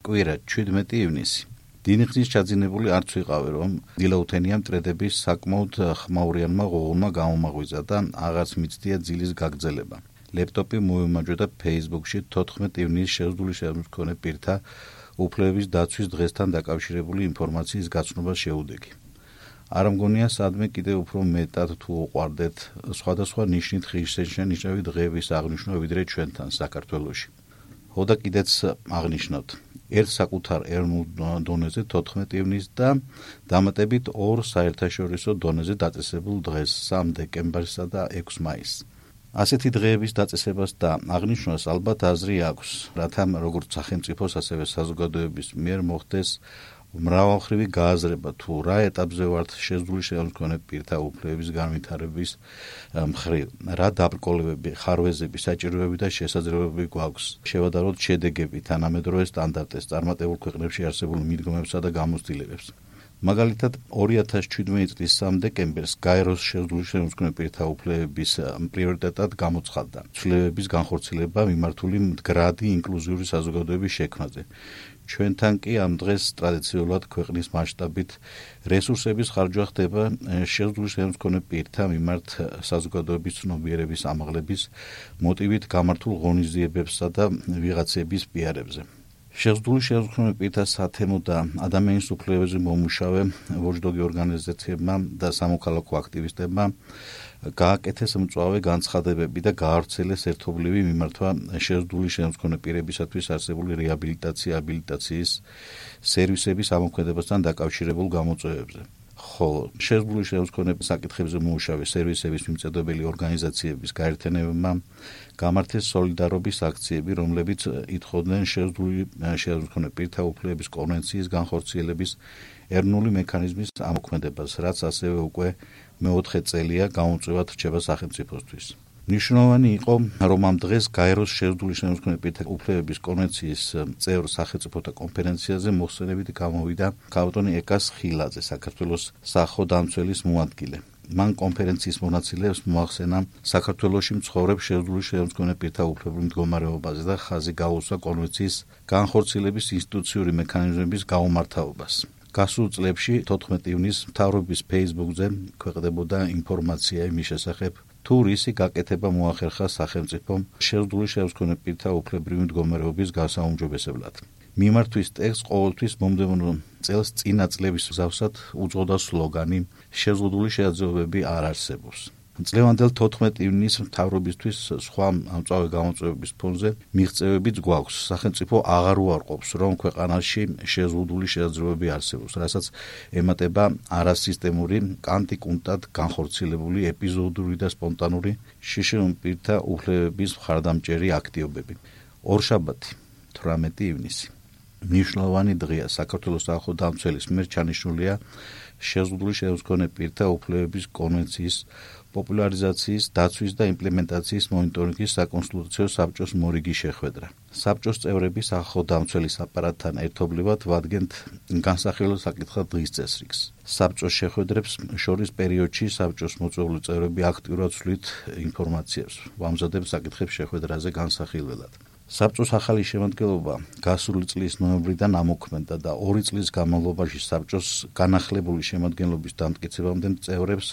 კვირა 17 ივნისი. დინიხნის ჩაძინებული არც ვიყავი, რომ დილაუთენია მტრედების საკმაოდ ხმაურიანმა ღუღურმა გამომაღვიძა და აღარც მიცდია ძილის გაგრძელება. ლეპტოპი მოიმაჯვა და Facebook-ში 14 ივნისს შეზღუდული შემდგომი პირთა უფლებების დაცვის დღესთან დაკავშირებული ინფორმაციის გაცნობა შეუდეგი. არ მგონია სადმე კიდევ უფრო მეტად თუ უყვარდეთ სხვადასხვა ნიშნით ღირსშესანიშნავი დღეების აღნიშვნა ვიდრე ჩვენთან საქართველოში. ხოდა კიდეც აღნიშნავთ ერთ საკუთარ ეროვნულ დონეზე 14 ივნისს და დამატებით ორ საერთაშორისო დონეზე დაწესებულ დღეს 3 დეკემბერსა და 6 მაისს. ასეთი დღეების დაწესებას და აღნიშვნას ალბათ აზრი აქვს, რათა როგორც სახელმწიფოს, ასევე საზოგადოების მიერ მოხდეს მრავალმხრივი გააზრება თუ რა ეტაპზე ვართ შეზღუდული შემდგომი პირთა უფლებების განვითარების მხრივ, რა დაბრკოლებები, ხარვეზები, საჭიროებები და შესაძლებლობები გვაქვს შევადაროთ შედეგები, თანამედროვე სტანდარტებს, წარმატებულ ქვეყნებში არსებულ მიდგომებსა და გამოცდილებებს. მაგალითად 2017 წლის 3 დეკემბერს გაეროს შეზღუდული შემდგომი პირთა უფლებების პრიორიტეტად გამოცხადდა ცვლილებების განხორციელება მიმართული მდგრადი ინკლუზიური საზოგადოების შექმნაზე. ჩვენთან კი ამ დღეს ტრადიციულად ქვეყნის მასშტაბით რესურსების ხარჯვა ხდება შეზღუდული შემდგომი პირთა მიმართ საზოგადოების ცნობიერების ამაღლების მოტივით გამართულ ღონისძიებებსა და ვიღაცების პიარებზე. შეზღუდული შემდგომი პირთა სათემო და ადამიანის უფლებებზე მომუშავე ვოჯდოგი ორგანიზაციებმა და სამოქალაქო აქტივისტებმა გააკეთეს მწვავე განცხადებები და გაავრცელეს ერთობლივი მიმართვა შეზღუდული შემდგომი პირებისათვის არსებული რეაბილიტაცია, აბილიტაციის სერვისების ამოქმედებასთან დაკავშირებულ გამოწვევებზე. ხოლო შეზღუდული შემდგომი საკითხებზე მომუშავე სერვისების მიმწოდებელი ორგანიზაციების გაერთიანებებმა გამართეს სოლიდარობის აქციები, რომლებიც ითხოვდნენ შეზღუდული შემდგომი პირთა უფლებების კონვენციის განხორციელების ეროვნული მექანიზმის ამოქმედებას, რაც ასევე უკვე მეოთხე წელია გამოწვევად რჩება სახელმწიფოსთვის. მნიშვნელოვანი იყო, რომ ამ დღეს გაეროს შეზღუდული შემდგომი პირთა უფლებების კონვენციის წევრ სახელმწიფოთა კონფერენციაზე მოხსენებით გამოვიდა ქალბატონი ეკას ხილაძე, საქართველოს სახელმწიფოს მოადგილე. მან კონფერენციის მონაწილეებს მოახსენა საქართველოში მცხოვრებ შეზღუდული შემდგომი პირთა უფლებების მდგომარეობაზე და ხაზი გაუსვა კონვენციის განხორციელების ინსტიტუციური მექანიზმების გაუმართავობას. გასულ წლებში 14 ივნისს მთავრობის Facebook-ზე ქვეყნდებოდა ინფორმაცია იმის შესახებ, თუ რისი გაკეთება მოახერხა სახელმწიფომ შეზღუდული შემდგომი პირთა უფლებრივი მდგომარეობის გასაუმჯობესებლად. მიმართვის ტექსტს ყოველთვის მომდევნო წელს წინა წლების მსგავსად უძღოდა სლოგანი შეზღუდული შეაძლებლობები არ არსებობს. წლევანდელ 14 ივნისს მთავრობისთვის სხვა ამწვავე გამოწვევების ფონზე მიღწევებიც გვაქვს. სახელმწიფო აღარ უარყოფს, რომ ქვეყანაში შეზღუდული შეაძლებლობები არსებობს, რასაც ემატება არასისტემური, კანტიკუნტად განხორციელებული ეპიზოდური და სპონტანური შეზღუდული პირთა უფლებების მხარდამჭერი აქტივობები. ორშაბათი 18 ივნისი მნიშვნელოვანი დღეა საქართველოს სახელმწიფოს მიერ ჩანიშნულია შეზღუდული შემდგომი პირთა უფლებების კონვენციის პოპულარიზაციის, დაცვის და იმპლემენტაციის მონიტორინგის საკონსულტაციო საბჭოს მორიგი შეხვედრა. საბჭოს წევრები სახელმწიფოს აპარატთან ერთობლივად ვადგენთ განსახილველ საკითხად დღის წესრიგს. საბჭოს შეხვედრებს შორის პერიოდში საბჭოს მოწვეული წევრები აქტიურად ცვლით ინფორმაციებს, ვამზადებთ საკითხებს შეხვედრაზე განსახილველად. საბჭოს ახალი შემადგენლობა გასული წლის ნოემბრიდან ამოქმედდა და 2 წლის განმავლობაში საბჭოს განახლებული შემადგენლობის დამტკიცებამდე წევრებს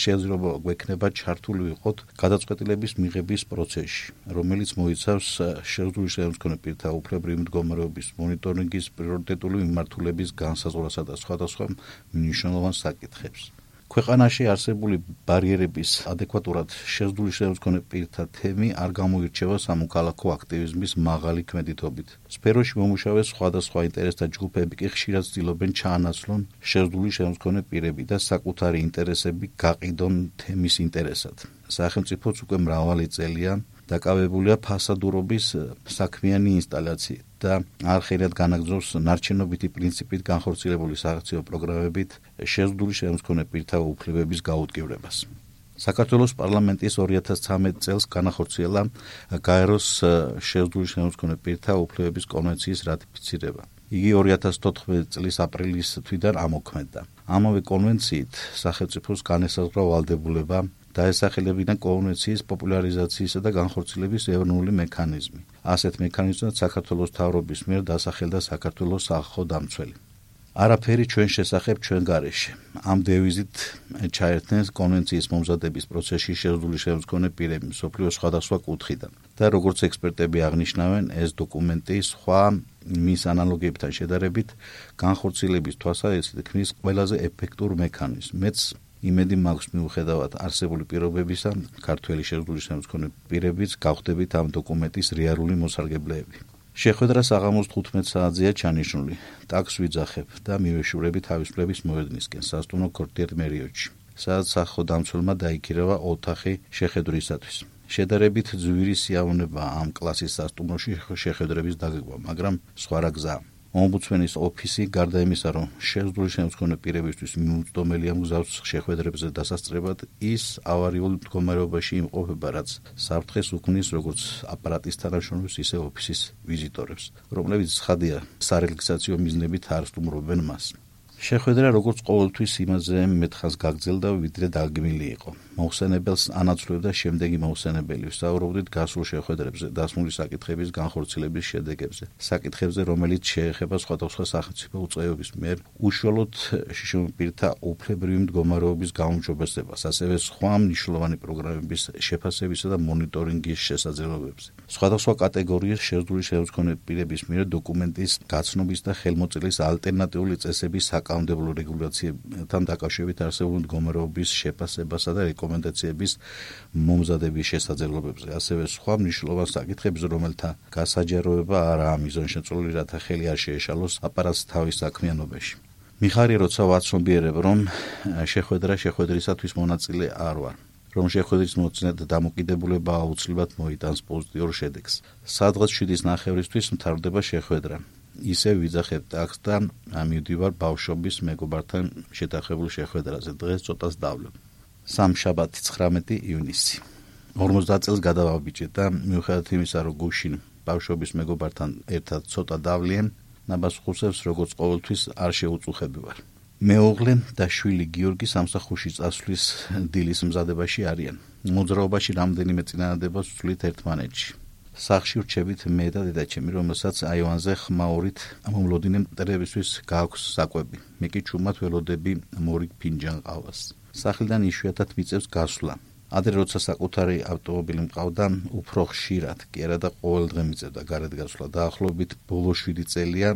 შესაძლებლობა გვექნება ჩართული ვიყოთ გადაწყვეტილების მიღების პროცესში, რომელიც მოიცავს შეზღუდული შემდგომი პირთა უფლებრივი მდგომარეობის მონიტორინგის პრიორიტეტული მიმართულების განსაზღვრასა და სხვადასხვა მნიშვნელოვან საკითხებს. ქვეყანაში არსებული ბარიერების ადეკვატურად შეზღუდული შემდგომი პირთა თემი არ გამოირჩევა სამოქალაქო აქტივიზმის მაღალი ქმედითობით. სფეროში მომუშავე სხვადასხვა ინტერესთა ჯგუფები კი ხშირად ცდილობენ ჩაანაცვლონ შეზღუდული შემდგომი პირები და საკუთარი ინტერესები გაყიდონ თემის ინტერესად. სახელმწიფოც უკვე მრავალი წელია დაკავებულია ფასადურობის საქმიანი ინსტალაციით და არხერად განაგრძობს ნარჩენობითი პრინციპით განხორციელებული სააქციო პროგრამებით შეზღუდული შემდგომი პირთა უფლებების გაუდგევრებას. საქართველოს პარლამენტის 2013 წელს განახორციელა გაეროს შეზღუდული შემდგომი პირთა უფლებების კონვენციის რატიფიცირება. იგი 2014 წლის აპრილის თვიდან ამოქმედდა. ამავე კონვენციით სახელმწიფოს განესაზღვრა ვალდებულება დაესახელებინა კონვენციის პოპულარიზაციისა და განხორციელების ეროვნული მექანიზმი. ასეთ მექანიზმად საქართველოს მთავრობის მიერ დასახელდა საქართველოს სახალხო დამცველი. არაფერი ჩვენ შესახებ ჩვენ გარეშე. ამ დევიზით ჩაერთნენ კონვენციის მომზადების პროცესში შეზღუდული შემდგომი პირები მსოფლიოს სხვადასხვა კუთხიდან. და როგორც ექსპერტები აღნიშნავენ, ეს დოკუმენტი სხვა მის ანალოგიებთან შედარებით განხორციელების თვალსაზრისით ქმნის ყველაზე ეფექტურ მექანიზმს. მეც იმედი მაქვს მიუხედავად არსებული პირობებისა, ქართველი შეზღუდული შემდგომი პირებიც გავხდებით ამ დოკუმენტის რეალური მოსარგებლეები. შეხვედრა საღამოს 15 საათზეა ჩანიშნული. ტაქსს ვიძახებ და მივეშურები თავისუფლების მოედნისკენ სასტუმრო ქორტიერ მერიოტში, სადაც სახალხო დამცველმა დაიქირავა ოთახი შეხვედრისათვის. შედარებით ძვირი სიამოვნება ამ კლასის სასტუმროში შეხვედრების დაგეგმა, მაგრამ სხვა რა გზაა. ომბუდსმენის ოფისი გარდა იმისა, რომ შეზღუდული შემდგომი პირებისთვის მიუწვდომელია მგზავს შეხვედრებზე დასასწრებად, ის ავარიულ მდგომარეობაში იმყოფება, რაც საფრთხეს უქმნის როგორც აპარატის თანამშრომლებს, ისე ოფისის ვიზიტორებს, რომლებიც ცხადია სარეგისტრაციო მიზნებით არ სტუმრობენ მას. შეხვედრა როგორც ყოველთვის იმაზე მეთხას გაგრძელდა, ვიდრე დაგმილი იყო. მოხსენებელს ანაცვლებდა შემდეგი მოხსენებელი. ვსაუბრობდით გასულ შეხვედრებზე, დასმული საკითხების განხორციელების შედეგებზე, საკითხებზე, რომელიც შეეხება სხვადასხვა სახელმწიფო უწყებების მიერ უშუალოდ შიშომპირთა უფლებრივი მდგომარეობის გაუმჯობესებას, ასევე სხვა მნიშვნელოვანი პროგრამების შეფასებისა და მონიტორინგის შესაძლებლობებზე. სხვადასხვა კატეგორიის შეზღუდული შემდგომი პირების მიერ დოკუმენტის გაცნობის და ხელმოწერის ალტერნატიული წესების საკანონმდებლო რეგულაციებთან დაკავშირებით არსებული მდგომარეობის შეფასებასა და რეკომენდაციების მომზადების შესაძლებლობებზე, ასევე სხვა მნიშვნელოვან საკითხებზე, რომელთა გასაჯაროება არაა მიზანშეწონილი, რათა ხელი არ შეეშალოს აპარატს თავის საქმიანობაში. მიხარია, როცა ვაცნობიერებ, რომ შეხვედრისათვის მონაწილე არ ვარ, რომ შეხვედრის მოწინათ დამოკიდებულება აუცილებლად მოიტანს პოზიტიურ შედეგს. სადღაც 7:30-ისთვის მთავრდება შეხვედრა. ისე ვიძახებ ტაქსს და მივდივარ ბავშვობის მეგობართან შეთანხმებულ შეხვედრაზე. დღეს ცოტას დავლებ. სამშაბათი 19 ივნისი. 50 წელს გადავაბიჭე და მიუხედავად იმისა, რომ გუშინ ბავშვობის მეგობართან ერთად ცოტა დავლიან, ნაბასხუსებს როგორც ყოველთვის არ შეუწუხები ვარ. მეუღლე და შვილი გიორგი სამსახურში წასვლის დილის მზადებაში არიან. მოძრაობაში რამდენიმე წინადადებას ვცვლით ერთმანეთში. სახლში ვრჩებით მე და დედაჩემი, რომელსაც აივანზე ხმაურით მომლოდინე მტერებისთვის გააქვს საკვები. მე კი ჩუმად ველოდები მორიგ ფინჯან ყავას. სახლიდან იშვიათად მიწევს გასვლა. ადრე როცა საკუთარი ავტომობილი მყავდა, უფრო ხშირად, კი არა და ყოველ დღე მიწევდა გარეთ გასვლა. დაახლოებით ბოლო 7 წელია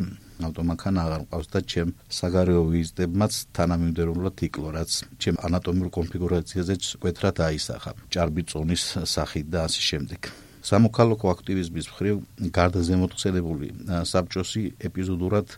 ავტომანქანა აღარ მყავს და ჩემ საგარეო ვიზიტებმაც თანამიმდევრულად იკლო, რაც ჩემ ანატომიურ კონფიგურაციაზეც მკვეთრად აისახა. ჭარბი წონის სახით და ასე შემდეგ. სამოქალაქო აქტივიზმის მხრივ გარდა ზემოთხსენებული საბჭოსი ეპიზოდურად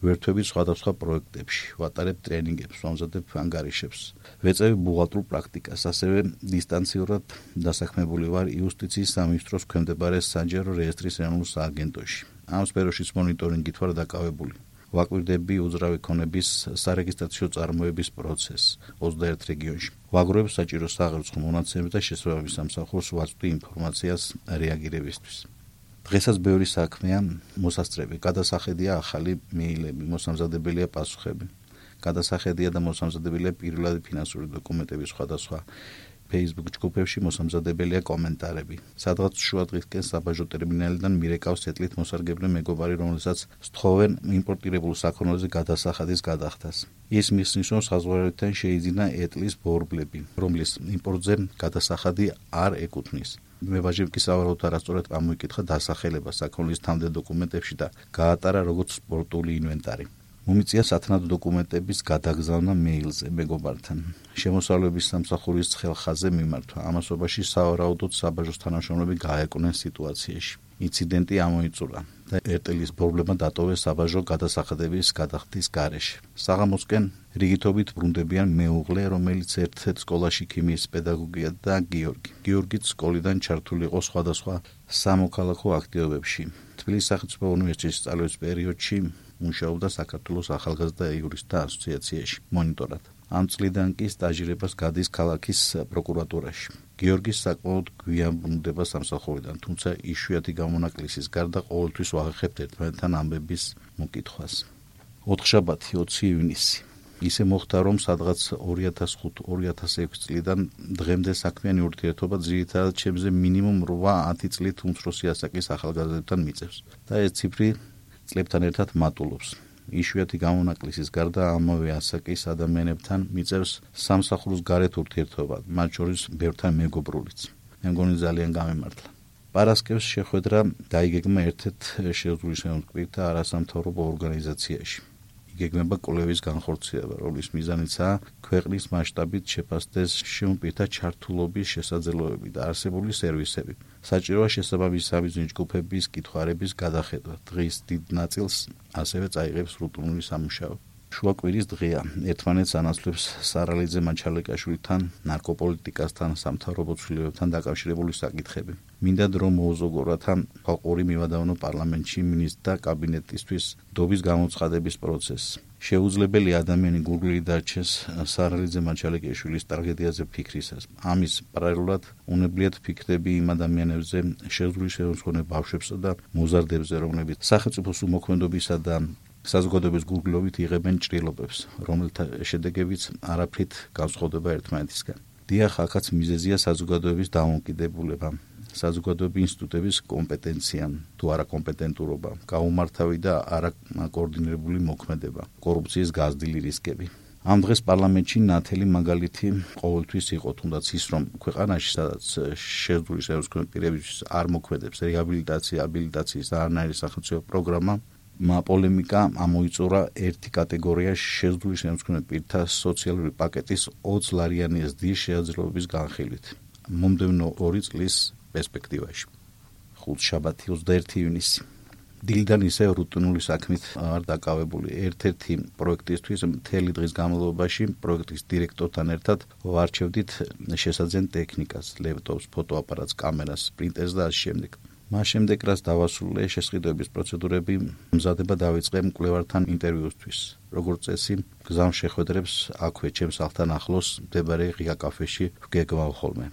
ვერთვებით სხვადასხვა პროექტებში, ვატარებ ტრენინგებს, ვამზადებ ანგარიშებს, ვეწევი ბუღალტრულ პრაქტიკას, ასევე დისტანციურად დასაქმებული ვარ იუსტიციის სამინისტროს ქვემდებარე საჯარო რეესტრის ეროვნულ სააგენტოში. ამ სფეროშიც მონიტორინგით ვარ დაკავებული. ვაკვირდები უძრავი ქონების სარეგისტრაციო წარმოების პროცესს 21 რეგიონში. ვაგროვებ საჭირო საღერცხო მონაცემებს და შესაბამის სამსახურს ვაწვდი ინფორმაციას რეაგირებისთვის. დღესაც ბევრი საქმეა მოსასწრები. გადასახედია ახალი მეილები, მოსამზადებელია პასუხები. გადასახედია და მოსამზადებელია პირველადი ფინანსური დოკუმენტების სხვადასხვა Facebook ჯგუფებში მოსამზადებელია კომენტარები. სადღაც შუადღისკენ საბაჟო ტერმინალიდან მირეკავს ეტლით მოსარგებლე მეგობარი, რომელსაც სთხოვენ იმპორტირებულ საქონელზე გადასახადის გადახდას. ის მისნის, რომ საზღვარგარეთთან შეიძინა ეტლის ბორბლები, რომლის იმპორტზე გადასახადი არ ეკუთვნის. მებაჟიმ კი სავარაუდოდ არასწორად ამოიკითხა დასახელება საქონლის თავდე დოკუმენტებში და გაატარა როგორც სპორტული ინვენტარი. მომიწია სათანადო დოკუმენტების გადაგზავნა მეილზე მეგობართან. შემოსავლების სამსახურის ხელხაზე მიმართვა. ამასობაში სავარაუდოდ საბაჟოს თანამშრომლები გაეკუნენ სიტუაციაში. ინციდენტი ამოიწურა და ეტლის პრობლემა დატოვეს საბაჟო გადასახადების გადახდის გარეშე. საღამოსკენ რიგითობით ბრუნდებიან მეუღლე, რომელიც ერთ-ერთ სკოლაში ქიმიის პედაგოგია და გიორგი. გიორგიც სკოლიდან ჩართული იყო სხვადასხვა სამოქალაქო აქტივობებში. თბილისის სახელმწიფო უნივერსიტეტის სწავლის პერიოდში მუშაობდა საქართველოს ახალგაზრდა იურისტთა ასოციაციაში მონიტორად. ამ წლიდან კი სტაჟირებას გადის ქალაქის პროკურატურაში. გიორგის საკმაოდ გვიან ბრუნდება სამსახურიდან, თუმცა იშვიათი გამონაკლისის გარდა ყოველთვის ვაღახებთ ერთმანეთთან ამბების მოკითხვას. ოთხშაბათი 20 ივნისი. ისე მოხდა, რომ სადღაც 2005-2006 წლიდან დღემდე საქმიანი ურთიერთობა ძირითადად ჩემზე მინიმუმ 8-10 წლით უმცროსი ასაკის ახალგაზრდებთან მიწევს და ეს ციფრი წლებთან ერთად მატულობს. იშვიათი გამონაკლისის გარდა ამავე ასაკის ადამიანებთან მიწევს სამსახურის გარეთ ურთიერთობა, მათ შორის ბევრთან მეგობრულიც. მე მგონი ძალიან გამემართლა. პარასკევს შეხვედრა დაიგეგმა ერთ-ერთ შეუძლებელი და არასამთავრობო ორგანიზაციაში. იგეგმება კვლევის განხორციელება, რომლის მიზანიცაა ქვეყნის მასშტაბით შეფასდეს შემოპირთა ჩართულობის შესაძლებლობები და არსებული სერვისები. საჭიროა შესაბამისი სამიზნე ჯგუფების კითხვარების გადახედვა. დღის დიდ ნაწილს ასევე წაიღებს რუტინული სამუშაო. შუა კვირის დღეა. ერთმანეთს ანაცვლებს სარალიძე მაჩალეკაშვილთან, ნარკოპოლიტიკასთან, სამთავრობო ცვლილებებთან დაკავშირებული საკითხები. მინდა დრო მოუზოგო, რათა ხალხური მივადავნო პარლამენტში მინისტრთა კაბინეტისთვის დობის გამოცხადების პროცესს. შეუძლებელი ადამიანი გურგლი დარჩეს სარალიძე მაჩალეკაშვილის ტრაგედიაზე ფიქრისას. ამის პარალელურად უნებლიეთ ფიქრები იმ ადამიანებზე, შეუძლებელი ბავშვებსა და მოზარდებზე, რომლებიც სახელმწიფოს უმოქმედობისა და საზოგადოების გურგლობით იღებენ ჭრილობებს, რომელთა შედეგებიც არაფრით განსხვავდება ერთმანეთისგან. დიახ, აქაც მიზეზია საზოგადოების დამოუკიდებულება, საზოგადოების ინსტიტუტების კომპეტენცია, თუ არა კომპეტენტურობა, გაუმართავი და არაკოორდინირებული მოქმედება, კორუფციის გაზრდილი რისკები. ამ დღეს პარლამენტში ნათელი მაგალითი ყოველთვის იყო, თუნდაც ის, რომ ქვეყანაში, სადაც შეძლული სერიოზული პირებისთვის არ მოქმედებს რეაბილიტაცია, აბილიტაციის და არანაირი სახელმწიფო პროგრამა, პოლემიკა ამოიწურა ერთი კატეგორია შეძლული შემსქმრელი პირთა სოციალური პაკეტის 20 ლარიანი ზრდის შესაძლებლობის განხილვით. მომდევნო 2 წლის პერსპექტივაში. ხუთშაბათი 21 ივნისი. დილიდან ისე რუტინული საქმით არ დაკავებული. ერთ-ერთი პროექტისთვის მთელი დღის განმავლობაში პროექტის დირექტორთან ერთად ვარჩევდით შესაძენ ტექნიკას, ლეპტოპს, ფოტოაპარატს, კამერას, პრინტერს და ასე შემდეგ. მას შემდეგ, რაც დავასრულე შესყიდვების პროცედურები, მზადება დავიწყე მკვლევართან ინტერვიუსთვის. როგორც წესი, გზამ შეხვედრებს აქვე ჩემს სახლთან ახლოს მდებარე ღია კაფეში ვგეგმავ ხოლმე.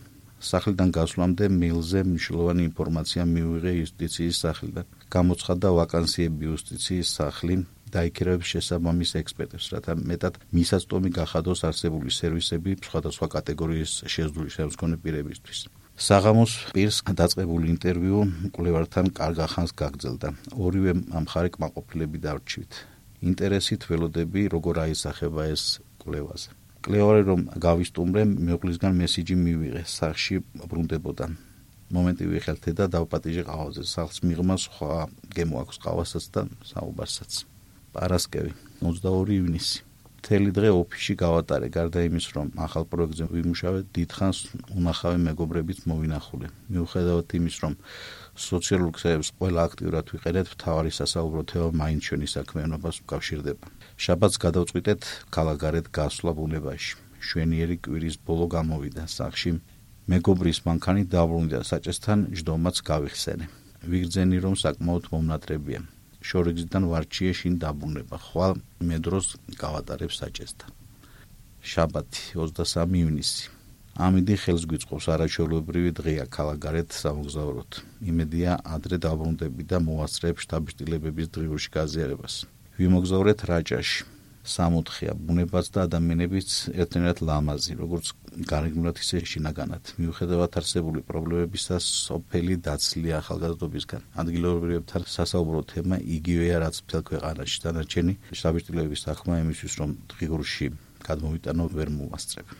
სახლიდან გასვლამდე მეილზე მნიშვნელოვანი ინფორმაცია მივიღე იუსტიციის სახლიდან. გამოცხადდა ვაკანსიები იუსტიციის სახლი დაიქირავებს შესაბამის ექსპერტებს, რათა მეტად მისაწვდომი გახადოს არსებული სერვისები სხვადასხვა კატეგორიის შეძლული შემსგონი პირებისთვის. საღამოს პირს დაწყებული ინტერვიუ მკვლევართან კარგ ახანს გაგრძელდა. ორივე მხარე კმაყოფილები დარჩივით. ინტერესით ველოდები, როგორ აისახება ეს კვლევაზე. კვლევარი რომ გავისტუმრე, მეუღლისგან მესიჯი მივიღე, სახლში ბრუნდებოდა. მომენტი ვიხელთე და დავპატიჟე ყავაზე. სახლს მიღმა სხვა გემოაქვს ყავასაც და საუბარსაც. პარასკევი 22 ივნისი. მთელი დღე ოფისში გავატარე, გარდა იმის, რომ ახალ პროექტზე ვიმუშავე, დიდხანს უნახავი მეგობრებიც მოვინახულე. მიუხედავად იმის, რომ სოციალურ ქსელებს ყველა აქტიურად ვიყენებთ, მთავარი სასაუბრო თემა მაინც ჩვენი საქმიანობას უკავშირდება. შაბათს გადავწყვიტეთ ქალაქგარეთ გასვლა ბუნებაში. შვენიერი კვირის ბოლო გამოვიდა სახლში. მეგობრის მანქანით დაბრუნდა საჭესთან, ჯდომაც გავიხსენე. ვიგრძენი, რომ საკმაოდ მომნატრებია. შორიგზიდან ვარჩიე შინ დაბრუნება, ხვალ მე დროს გავატარებ საჭესთან. შაბათი 23 ივნისი. ამინდი ხელს გვიწყობს არაჩვეულებრივი დღეა ქალაქგარეთ სამოგზაუროდ. იმედია ადრე დაბრუნდები და მოვასწრებ შტაბ-შტილებების დღიურში გაზიარებას. ვიმოგზაურეთ რაჭაში. სამოთხეა ბუნებაც და ადამიანებიც ერთნაირად ლამაზი, როგორც გარეგნულად ისე შინაგანად. მიუხედავად არსებული პრობლემებისა, სოფელი დაცლია ახალგაზრდობისგან. ადგილობრივებთან სასაუბრო თემა იგივეა, რაც მთელ ქვეყანაში. დანარჩენი შტაბ-შტილების საქმე იმისთვის, რომ დღიურში გადმოვიტანო, ვერ მოვასწრებ.